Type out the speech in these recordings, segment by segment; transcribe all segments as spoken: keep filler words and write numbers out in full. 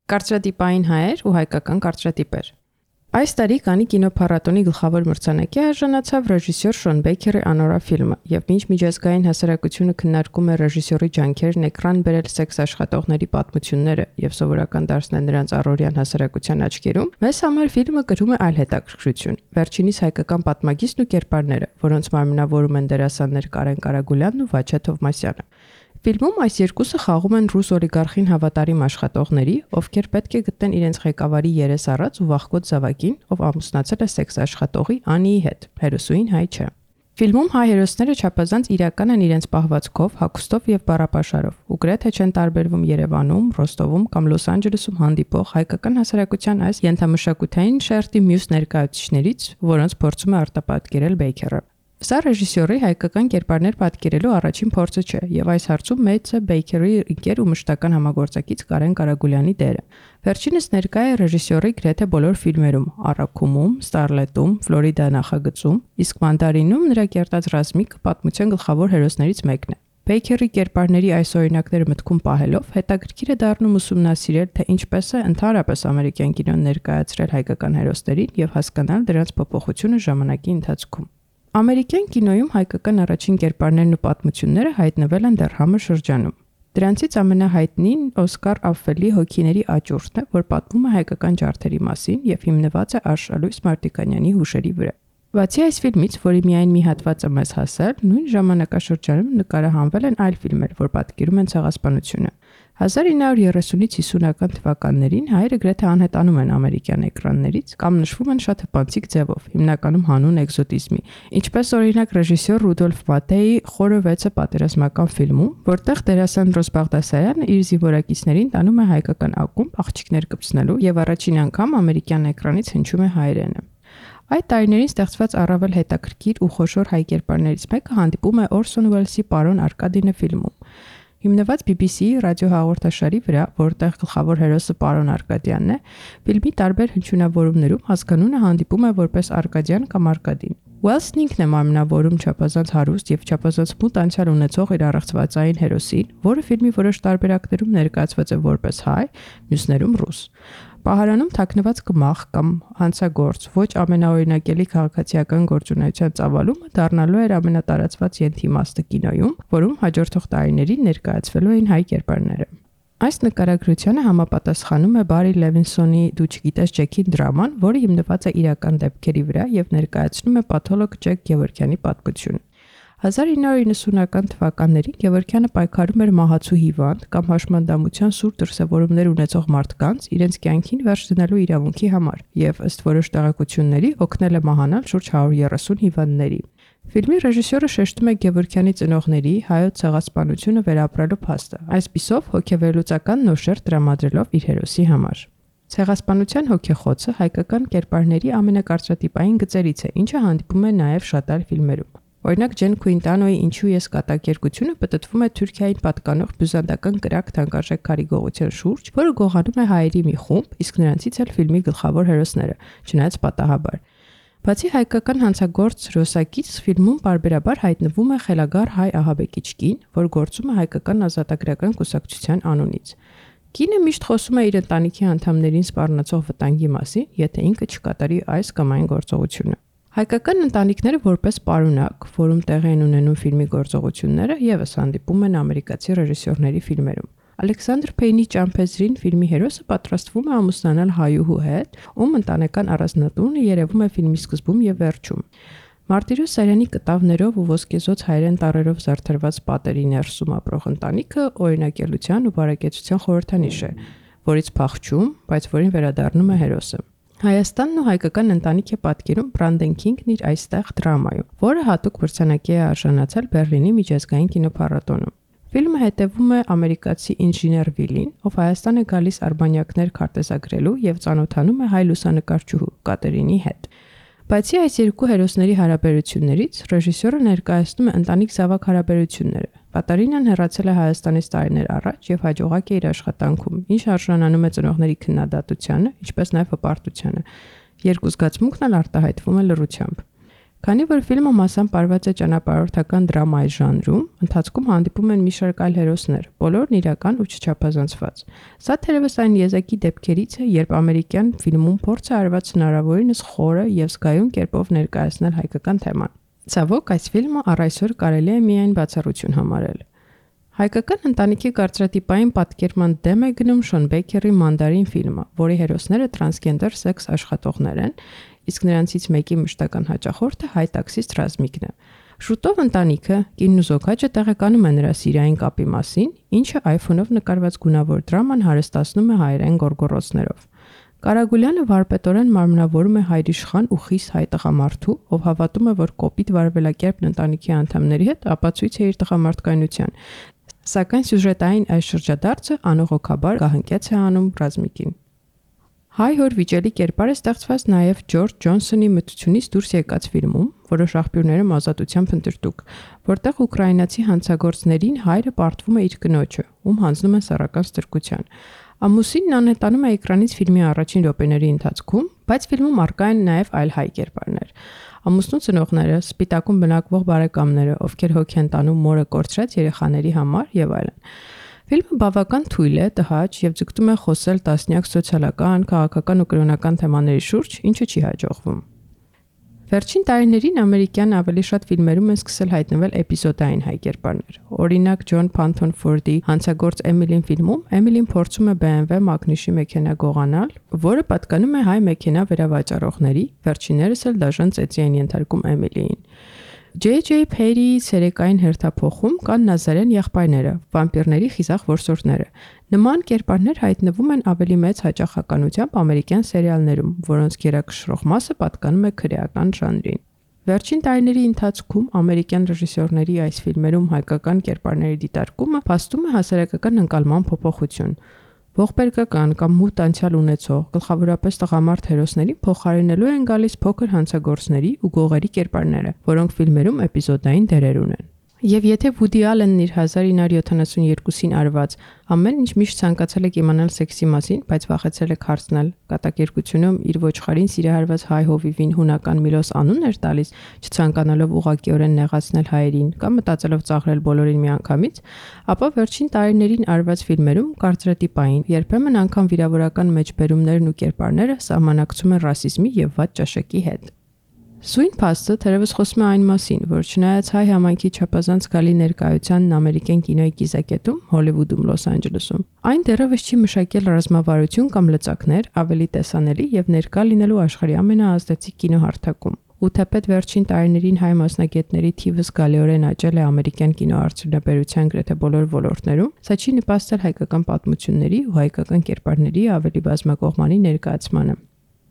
Կարծրատիպային հայեր ու հայկական կարծրատիպեր։ Այս տարի Կաննի կինոփառատոնի գլխավոր մրցանակի արժանացավ ռեժիսոր Շոն Բեյքերի «Անորա» ֆիլմը, եւ մինչ միջազգային հասարակությունը քննարկում է ռեժիսորի ջանքերն էկրան բերել սեքս աշխատողների պատմությունները եւ սովորական դարձնել նրանց առօրյան հասարակության աչքերում, մեզ համար ֆիլմը կրում է այլ հետաքրքրություն։ Վերջինիս հայկական պատմագիծն ու կերպարները, որոնց մարմնավորում են դերասաններ Կարեն Կարագուլյանն ու Վաչե Թովմասյանը։ Ֆիլմում այս երկուսը խաղում են ռուս օլիգարխին հավատարիմ աշխատողների, ովքեր պետք է գտնեն իրենց ղեկավարի երես առած ու վախկոտ զավակին, ով ամուսնացել է սեքս աշխատողի Անիի հետ, հերոսուին հայ չէ։ Ֆիլմում հայ հերոսները չափազանց իրական են իրենց պահվածքով, հագուստով եւ բառապաշարով, ու գրեթե չեն տարբերվում Երևանում, Ռոստովում կամ Լոս Անջելեսում հանդիպող հայկական հասարակության այս ենթամշակութային շերտի մյուս ներկայացուցիչներից, որոնց փորձում է արտապատկերել Բեյքերը։ Սա ռեժիսորի հայկական կերպարներ պատկերելու առաջին փորձը չէ, եւ այս հարցում մեծ է Բեյքերի ընկեր ու մշտական համագործակից Կարեն Կարագուլյանի դերը։ Վերջինս ներկա է ռեժիսորի գրեթե բոլոր ֆիլմերում՝ Առաքումում, Ստարլետում, Ֆլորիդա նախագծում, իսկ Մանդարինում նրա կերտած ռազմիկը պատմության գլխավոր հերոսներից մեկն է։ Բեյքերի կերպարների այս օրինակները մտքում պահելով հետաքրքիր է դառնում ուսումնասիրել, թե ինչպես է ընդհանրապես ամերիկյան կինոն ներկայացրել հայկական հերոսներին եւ հասկանալ դրանց փոփոխությունը ժամանակի ընթացքում։ Ամերիկյան կինոյում հայկական առաջին կերպարներն ու պատմությունները հայտնվել են դեռ համը շրջանում։ Դրանցից ամենահայտնին Օսկար Աֆվելի հոգիների աճուրդն է, որ պատմում է հայկական ջարդերի մասին եւ հիմնված է Արշալույս Մարտիկանյանի հուշերի վրա։ Բացի այս ֆիլմից, որի միայն մի հատվածը մեզ հասել, նույն ժամանակաշրջանում նկարահանվել են այլ ֆիլմեր, որ պատկերում են ցեղասպանությունը։ հազար ինը հարյուր երեսունից հիսունական թվականներին հայերը գրեթե անհետանում են ամերիկյան էկրաններից կամ նշվում են շատ հպանցիկ ձևով, հիմնականում հանուն էկզոտիզմի, ինչպես օրինակ ռեժիսոր Ռուդոլֆ Մատեի Խորը վեցը պատերազմական ֆիլմում, որտեղ դերասան Ռոզ Բաղդասարյանը իր զինվորակիցներին տանում է հայկական ակումբ աղջիկներ կպցնելու եւ առաջին անգամ ամերիկյան էկրանից հնչում է հայերենը։ Այդ տարիներին ստեղծված առավել հետաքրքիր ու խոշոր հայ կերպարներից մեկը հանդիպում է Օրսոն Ուելսի Պարոն Արկադինը ֆիլմում։ Հիմնված բի բի սի-ի ռադիոհաղորդաշարի վրա, որտեղ գլխավոր հերոսը Պարոն Արկադյանն է, ֆիլմի տարբեր հնչյունավորումներում հասկանունը հանդիպում է որպես Արկադյան կամ Արկադին։ Ուելսն ինքն է մարմնավորում չափազանց հարուստ եւ չափազանց մութ անցյալ ունեցող իր առեղծվածային հերոսին, որը ֆիլմի որոշ տարբերակներում ներկայացված է որպես հայ, մյուսներում ռուս։ Պահարանում թաքնված կմախ կամ հանցագործ, ոչ ամենաօրինակելի քաղաքացիական գործունեության ծավալումը դառնալու էր ամենատարածված ենթիմաստը կինոյում, որում հաջորդող տարիներին ներկայացվելու էին հայ կերպարները։ Այս նկարագրությանը համապատասխանում է Բարի Լևինսոնի «Դու չգիտես Ջեքին» դրաման, որը հիմնված է իրական դեպքերի վրա եւ ներկայացնում է պաթոլոգ Ջեք Գևորգյանի պատմությունը։ հազար ինը հարյուր իննսունական թվականներին Գևորգյանը պայքարում էր մահացու հիվանդ կամ հաշմանդամության սուր դրսևորումներ ունեցող մարդկանց իրենց կյանքին վերջ դնելու իրավունքի համար եւ ըստ որոշ տեղեկությունների օգնել է մահանալ շուրջ հարյուր երեսուն հիվանդների։ Ֆիլմի ռեժիսորը շեշտում է Գևորգյանի ծնողների հայոց ցեղասպանությունը վերապրելու փաստը, այսպիսով հոգեվերլուծական նոշեր տրամադրելով իր հերոսի համար։ Ցեղասպանության հոգեխոցը հայկական կերպարների ամենակարծրատիպային գծերից է, ինչը հանդիպում է նաև շատ այլ ֆիլմերում։ Օրինակ Ջեն Քուինտանոյի «Ինչու ես կատակերգությունը» պտտվում է Թուրքիային պատկանող բյուզանդական կրակ թանկարժեք քարի շուրջ, որը գողանում է հայերի մի խումբ, իսկ նրանցից էլ ֆիլմի գլխավոր հերոսները, չնայած պատահաբար։ Բացի հայկական հանցագործ Ռոսակից ֆիլմում պարբերաբար հայտնվում է խելագար հայ ահաբեկիչ կին, որ գործում է հայկական ազատագրական կուսակցության անունից։ Կինը միշտ խոսում է իր ընտանիքի անդամներին սպառնացող վտանգի մասին, եթե ինքը չկատարի այս կամ այն գործողությունը։ Հայկական ընտանիքները որպես պարունակ, որում տեղի են ունենում ֆիլմի գործողությունները, եւս հանդիպում են ամերիկացի ռեժիսորների ֆիլմերում։ Ալեքսանդր Փեյնի Ճամփեզրին ֆիլմի հերոսը պատրաստվում է ամուսնանալ հայուհու հետ, ում ընտանեկան առանձնատունը երևում է ֆիլմի սկզբում եւ վերջում։ Մարտիրոս Սարյանի կտավներով ու ոսկեզոծ հայերեն տառերով զարդարված պատերի ներսում ապրող ընտանիքը օրինակելության ու բարեկեցության խորհրդանիշ է, որից փախչում, բայց որին վերադառնում է հերոսը։ Հայաստանն ու հայկական ընտանիք է պատկերում Բրանդեն Քինգն իր «Այստեղ» դրամայում, որը հատուկ մրցանակի է արժանացել Բեռլինի միջազգային կինոփառատոնում։ Ֆիլմը հետևում է ամերիկացի ինժեներ Վիլին, ով Հայաստան է գալիս արբանյակներ քարտեզագրելու եւ ծանոթանում է հայ լուսանկարչուհու Կատերինի հետ։ Բացի այս երկու հերոսների հարաբերություններից, ռեժիսորը ներկայացնում է ընտանիք-զավակ հարաբերությունները։ Կատարինան հեռացել է Հայաստանից տարիներ առաջ եւ հաջողակ է իր աշխատանքում, ինչ արժանանում է ծնողների քննադատությանը, ինչպես նաեւ հպարտությանը։ Երկու զգացմունքն էլ արտահայտվում է լռությամբ։ Քանի որ ֆիլմը մասամբ արված է ճանապարհորդական դրամայի ժանրում, ընթացքում հանդիպում են մի շարք այլ հերոսներ, բոլորն իրական ու չչափազանցված։ Սա թերևս այն եզակի դեպքերից է, երբ ամերիկյան ֆիլմում փորձ է արված հնարավորինս խորը եւ զգայուն կերպով ներկայացնել հայկական թեման։ Ցավոք, այս ֆիլմը առ այսօր կարելի է միայն բացառություն համարել։ Հայկական ընտանիքի կարծրատիպային պատկերման դեմ է գնում Շոն Բեյքերի Mandarin ֆիլմը, որի հերոսները տրանսգենդեր սեքս աշխատողներ են, իսկ նրանցից մեկի մշտական հաճախորդը հայ տաքսիստ Ռազմիկն է։ Շուտով ընտանիքը, կինն ու զոգաճը տեղեկանում են նրա սիրային կապի մասին, ինչը iPhone-ով նկարված գունավոր դրաման հարստացնում է հայերեն գոռգոռոցներով։ Կարագուլյանը վարպետորեն մարմնավորում է հայրիշխան ու խիստ հայ տղամարդու, ով հավատում է, որ կոպիտ վարվելակերպն ընտանիքի անդամների հետ ապացույց է իր տղամարդկայնության, սակայն սյուժետային այս շրջադարձը անողոքաբար գահընկեց է անում Ռազմիկին։ Հայ-հոր վիճելի կերպար է ստեղծված նաև Ջորջ Ջոնսոնի մթությունից դուրս եկած ֆիլմում, որը շախբյուրներում ազատության փնտրտուք, որտեղ ուկրաինացի հանցագործներին հայրը պարտվում է իր կնոջը, ում հանձնում են սեռական ստրկության։ Ամուսինն անհետանում է էկրանից ֆիլմի առաջին րոպեների ընթացքում, բայց ֆիլմում առկա են նաև այլ հայ կերպարներ։ Ամուսնու ծնողները, սպիտակում բնակվող բարեկամները, ովքեր հոգ են տանում մորը կորցրած երեխաների համար եւ այլն։ Ֆիլմը բավական թույլ է, տհաճ եւ ձգտում է խոսել տասնյակ սոցիալական, քաղաքական ու կրոնական թեմաների շուրջ, ինչը չի հաջողվում։ Վերջին տարիներին ամերիկյան ավելի շատ ֆիլմերում են սկսել հայտնվել էպիզոդային հայ կերպարներ։ Օրինակ Ջոն Փանթոն Ֆորդի Հանցագործ Էմիլին ֆիլմում Էմիլին փորձում է B M W մագնիշի մեքենա գողանալ, որը պատկանում է հայ մեքենա վերավաճառողների, վերջիններս էլ դաժան ծեծի են ենթարկում Էմիլիին։ J J Perry-ի սերեկային հերթափոխում կան Նազարեն եղբայրները, վամպիրների խիզախ որսորդները։ Նման կերպարներ հայտնվում են ավելի մեծ հաճախականությամբ ամերիկյան սերիալներում, որոնց գերակշռող մասը պատկանում է քրեական ժանրին։ Վերջին տարիների ընթացքում ամերիկյան ռեժիսորների այս ֆիլմերում հայկական կերպարների դիտարկումը փաստում է հասարակական ընկալման փոփոխություն։ Ողբերգական կամ մութ անցյալ ունեցող, գլխավորապես տղամարդ հերոսներին փոխարինելու են գալիս փոքր հանցագործների ու գողերի կերպարները, որոնք ֆիլմերում էպիզոդային դերեր ունեն։ Եվ եթե Վուդի Ալենն իր հազար ինը հարյուր յոթանասունյոթին արված ամեն ինչ միշտ ցանկացել եք իմանալ սեքսի մասին, բայց վախեցել եք հարցնել, կատակերգությունում իր ոչխարին սիրահարված հայ հովիվին հունական Միլոս անուն էր տալիս, չցանկանալով ուղղակիորեն նեղացնել հայերին կամ մտածելով ծաղրել բոլորին միանգամից, ապա վերջին տարիներին արված ֆիլմերում կարծրատիպային, երբեմն անգամ վիրավորական մեջբերումներն ու կերպարները սահմանակցում են ռասիզմի եւ վատ ճաշակի հետ։ Սույն փաստը թերևս խոսում է այն մասին, որ չնայած հայ համայնքի չափազանց գալի ներկայությանն ամերիկյան կինոյի կիզակետում, Հոլիվուդում, Լոս Անջելեսում, այն դեռևս չի մշակել ռազմավարություն կամ լծակներ ավելի տեսանելի եւ ներկա լինելու աշխարհի ամենաազդեցիկ կինոհարթակում։ Ու թեպետ վերջին տարիներին հայ մասնագետների թիվը զգալիորեն աճել է ամերիկյան կինոարդյունաբերության գրեթե բոլոր ոլորտներում, սա չի նպաստել հայկական պատմությունների ու հայկական կերպարների ավելի բազմակողմանի ներկայացմանը։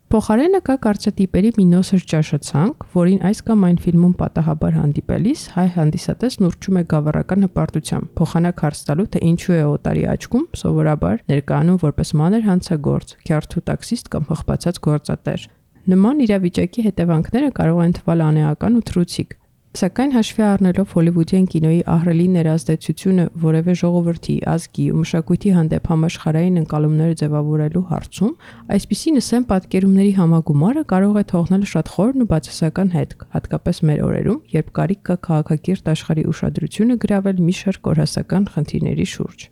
Փոխարենը կա կարծրատիպերի մի նոսր ճաշացանկ, որին այս կամ այն ֆիլմում պատահաբար հանդիպելիս հայ հանդիսատեսն ուռչում է գավառական հպարտությամբ, փոխանակ հարց տալու, թե ինչու է օտարի աչքում սովորաբար ներկայանում որպես մանր հանցագործ, քյարթու տաքսիստ կամ հղբացած գործատեր։ Նման իրավիճակի հետևանքները կարող են թվալ անեական ու թռուցիկ, սակայն հաշվի առնելով հոլիվուդյան կինոյի ահռելի ներազդեցությունը որևէ ժողովրդի, ազգի ու մշակույթի հանդեպ համաշխարհային ընկալումները ձևավորելու հարցում, այսպիսի նսեմ պատկերումների համագումարը կարող է թողնել շատ խորն ու բացասական հետք, հատկապես մեր օրերում, երբ կարիք կա քաղաքակիրթ աշխարհի ուշադրությունը գրավել մի շարք կորհասական խնդիրների շուրջ։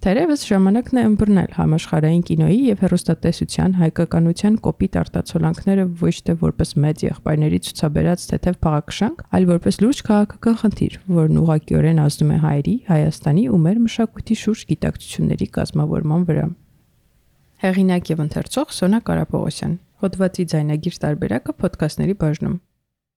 Թերևս ժամանակն է ըմբռնել համաշխարհային կինոյի եւ հեռուստատեսության հայկականության կոպիտ արտացոլանքները ոչ թե որպես մեծ եղբայրների ցուցաբերած թեթև փաղաքշանք, այլ որպես լուրջ քաղաքական խնդիր, որն ուղղակիորեն ազդում է հայերի, Հայաստանի ու մեր մշակույթի շուրջ գիտակցությունների կազմավորման վրա։ Հեղինակ եւ ընթերցող Սոնա Կարապողոսյան։ Հոդվածի ձայնագիր տարբերակը ոդքասթների բաժնում։